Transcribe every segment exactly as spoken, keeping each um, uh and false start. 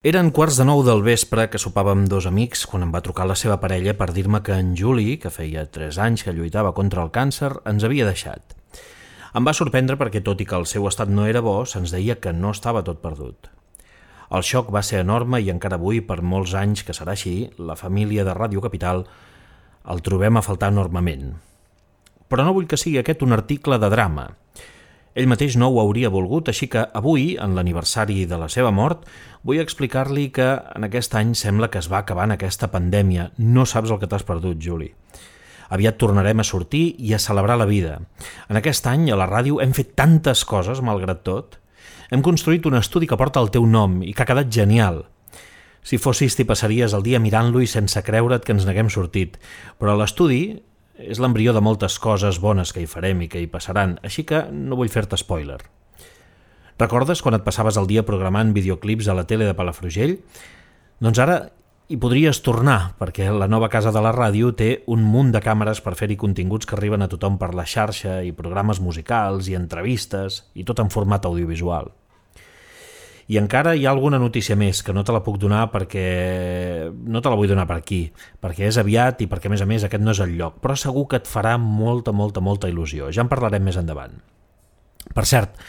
Eren quarts de nou del vespre que sopàvem dos amics quan em va trucar la seva parella per dir-me que en Juli, que feia tres anys que lluitava contra el càncer, ens havia deixat. Em va sorprendre perquè, tot i que el seu estat no era bo, se'ns deia que no estava tot perdut. El xoc va ser enorme i encara avui, per molts anys que serà així, la família de Ràdio Capital el trobem a faltar enormement. Però no vull que sigui aquest un article de drama. Ell mateix no ho hauria volgut, així que avui, en l'aniversari de la seva mort, vull explicar-li que en aquest any sembla que es va acabant aquesta pandèmia. No saps el que t'has perdut, Juli. Aviat tornarem a sortir i a celebrar la vida. En aquest any, a la ràdio, hem fet tantes coses, malgrat tot. Hem construït un estudi que porta el teu nom i que ha quedat genial. Si fossis, t'hi passaries el dia mirant-lo i sense creure't que ens n'haguem sortit. Però l'estudi és l'embrió de moltes coses bones que hi farem i que hi passaran, així que no vull fer-te spoiler. Recordes quan et passaves el dia programant videoclips a la tele de Palafrugell? Doncs ara hi podries tornar, perquè la nova casa de la ràdio té un munt de càmeres per fer-hi continguts que arriben a tothom per la xarxa i programes musicals i entrevistes i tot en format audiovisual. I encara hi ha alguna notícia més que no te la puc donar perquè no te la vull donar per aquí, perquè és aviat i perquè, a més a més, aquest no és el lloc, però segur que et farà molta, molta, molta il·lusió. Ja en parlarem més endavant. Per cert,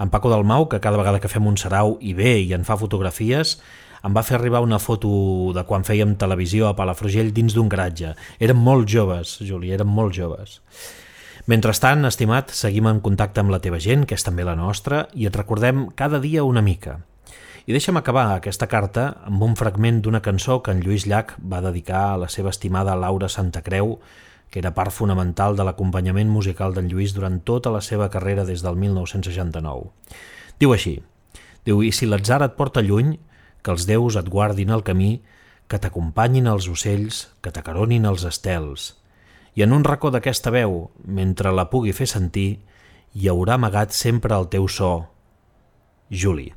en Paco Dalmau, que cada vegada que fem un sarau hi ve i en fa fotografies, em va fer arribar una foto de quan fèiem televisió a Palafrugell dins d'un garatge. Érem molt joves, Juli, érem molt joves. Mentrestant, estimat, seguim en contacte amb la teva gent, que és també la nostra, i et recordem cada dia una mica. I deixa'm acabar aquesta carta amb un fragment d'una cançó que en Lluís Llach va dedicar a la seva estimada Laura Santacreu, que era part fonamental de l'acompanyament musical d'en Lluís durant tota la seva carrera des del mil nou-cents seixanta-nou. Diu així, diu, i si l'atzar et porta lluny, que els déus et guardin el camí, que t'acompanyin els ocells, que t'acaronin els estels, i en un racó d'aquesta veu, mentre la pugui fer sentir, hi haurà amagat sempre el teu so, Juli.